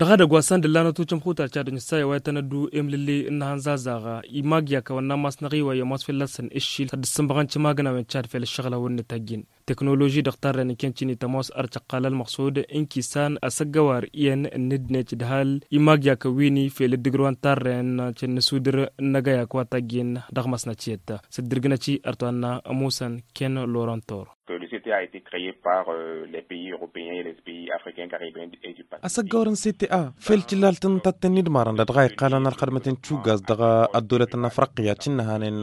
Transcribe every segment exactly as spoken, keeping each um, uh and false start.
Dăɣ-edăgg wa săn d-ǝllanăt ucǝmxutar cad ǝnjǝssay a-wa itănăddu emlǝlle n-inăhăn zazaɣa imagg i-akăwăn n-ammas n-aɣiway i-ămoos fălla-săn ǝššil ad-dd-sǝnbăɣăn cimagnawen cad fel ǝššăɣǝl a wăr nǝtajjin teknoloži dăɣ-tarren n-kăncini tămoos ărcăqqal ălmăqsud n-kisan asăggăwar iyyăn n-ǝddinăt d-hal imagg i-akăwini fel ǝddǝgrǝwăn tarren cănnăsudǝr n-agăyak wa tajjin dăɣ-măsnăt iyyăt s-ǝddǝrgǝnăt-i ărtwanna ămusăn ken lorantor. Que le cta a été crée par les pays européens et les pays africains caribéens et du pacifique. Asăggăwăr n-cta fel tǝllalt n-tatten n-idmarăn da dăɣ-a iqqalăn ălxădmăten tšugas dăɣ-ăddolăt n-afriqya cǝnnăhanen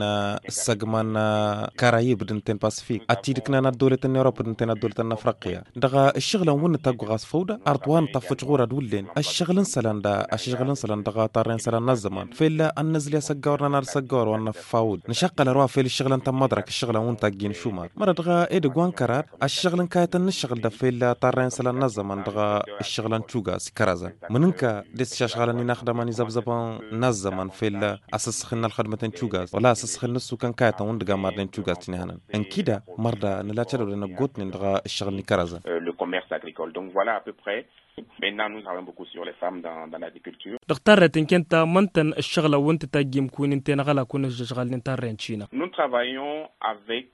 ǝssăgman karayib d-ǝnten pasifik ad-t-dd-ǝknan ăddolăt n-europa d-ǝnten ăddolăt n-afriqya dăɣ-ǝššăɣǝlăn wǝnnǝt aggu ɣas făw da. Arḍ wa nǝṭṭăffăc ɣur-ad-wullen ăššăɣǝl n-isălan da ăššăɣǝl n-isălan dăɣ-tarrăy n-isălan n-ăzzăman fell'-a ănnăzli asăggawăr n-anad asăggawăr wa n-năffawǝd nǝšăqqăl ărwa fel ǝššăɣǝlăn tămmăḍrăk ǝššăɣǝlăn wǝnnǝt a ǝjjin šumar mărăt dăɣ-edăgg wa n-kăraḍ ăššăɣǝl n-kayătăn n-ǝššăɣǝl da fell'-a tarrăy n-isălan n-ăzzăman dăɣ-ǝššăɣǝlăn tšugas ikărăzăn mǝnǝnka d-issăšɣalăn inaxdămăn izăbzăbăn n-ăzzăman fel-asǝssăxǝl n-ălxădmăten tšugas wăla asǝssăxǝl n-ǝssukăn kayătăn wǝndǝg ammarnen tšugas tinihănăn ǝnkida mărda nǝla cădăwdăn ăggootnen dăɣ-ǝššăɣǝl n-ikărăzăn. Le commerce agricole donc voilà à peu près. Maintenant nous travaillons beaucoup sur les femmes dans l'agriculture. Dăɣ-tarret n-kăyăn ta măn-tăn ǝššăɣǝlăn wǝnnǝt tajjim kunǝnten aɣălak wǝnnǝt ǝššăɣǝlnen tarren cina. Nous travaillons avec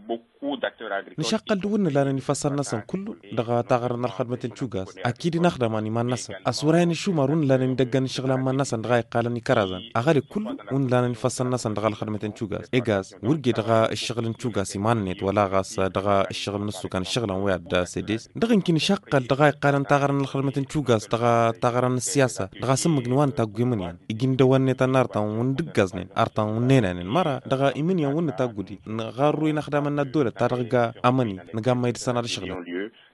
beaucoup. Nǝšaqqăl d-wǝnnǝlanen ifăssăn-năsăn kullu dăɣ-taɣărăn n-ălxădmăten tšugas akid inaxdăman iman-năsăn ăsurayăn išumar wǝnnǝlanen idăggăn n-iššăɣǝl n-iman-năsăn dăɣ-a iqqalăn ikărăzăn aɣăle kullu wǝnnǝlanen ifăssăn-năsăn dăɣ-ălxădmăten tšugas egas wăr ge dăɣ-ǝššăɣǝl n-tšugas iman-net wăla ɣas dăɣ-ǝššăɣǝl n-ǝssukan ǝššăɣǝlăn wi ad-sedes dăɣ-inki nǝšaqqăl dăɣ-a iqqalăn taɣărăn n-ălxădmăten tšugas dăɣ-taɣărăn n-ǝssiyasa dăɣ-asǝmmǝg n-wa n-taggu imǝnyan igi n-dăwănnetăn artan wǝndǝggăznen artan wǝnnenanen măra dăɣ-imǝnyan wǝnnǝtaggudi nǝɣarru inaxdamăn n-ăddolăt ta dăɣ-ga amăni nǝgammăy dăɣ-săn ad-ǝšɣǝlăn.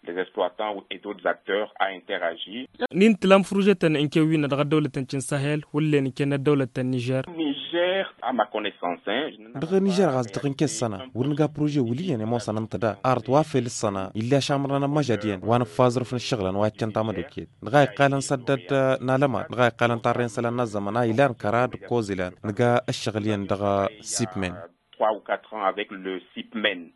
Des exploitants et d'autres acteurs à interagir. N-intǝlam furujătăn n-kewwinna dăɣ-ăddăwlătăn ti n-sahel wǝllen n-kennăt dăwlătăn nižer. Nižer a ma connaissance. Dăɣ-nižer ɣas dăɣ-n kessăna wăr nǝga puruje wǝl' iyyăn i-ămoosăn ǝnta da arăt wa fel ǝssăna ill'-i ašamărnan ămmăžad iyyăn wa nǝffa aẓrǝf n-ǝššăɣǝlăn wa iccăn tamădokket dăɣ-a iqqalăn săddăd n-alăman dăɣ-a iqqalăn tarrăyăn isălan n-ăzzăman a ilan kăra d-ǝkkoẓ ilan nǝga ǝššăɣǝl iyyăn dăɣ-sipmen. Trois ou quatre ans avec le sipmen.